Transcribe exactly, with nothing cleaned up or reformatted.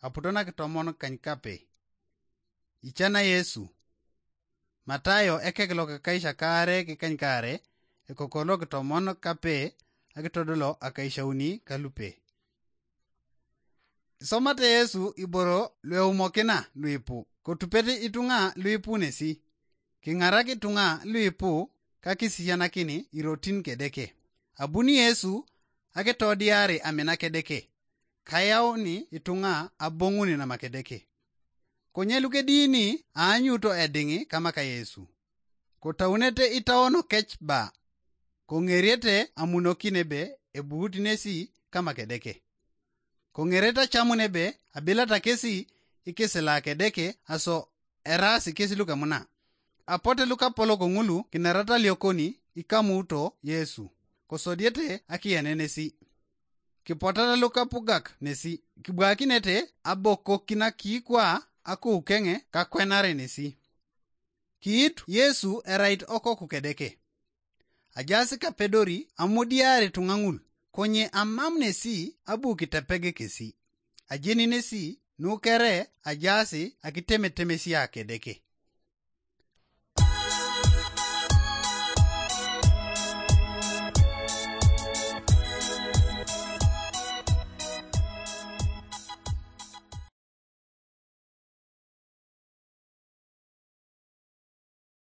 aputo nakitomon kany kape. Icana Yesu. Matayo ekek lokakaisha kaare kikany kaare, ekoko lokitomon kape, akitodolo akaishauni kalupe. Isomate Yesu iboro lueumokina luipu, kotupete itunga luipu nesi. Kingarak itunga luipu kakisisianakin irotin kedeke. Abuni Yesu akitodiari amina kedeke. Kayauni itunga abonguni namakedeke. Konye lukedini aanyuto edingi kama ka Yesu. Kotaunete itaono kech ba. Kongeriete amunokin ebe ebuut nesi kama kedeke. Kongeriete acamun ebe abilata kesi ikisila kedeke aso eraasi kesi lukemuna. Apote lukapolok ngulu kinerata liokoni ikamuuto Yesu. Kosodiete akiyenenesi. Kipotata lukapugak nesi. Kibwakinete abokokina kiikwa akoukenge kakwenare nesi. Kiit Yesu erait okoku kedeke. Ajaasi kapedori amudiari tunga ngul, konye amam nesi abu kitepege kesi. Ajeni nesi nukere ajaasi akitemetemesia kedeke.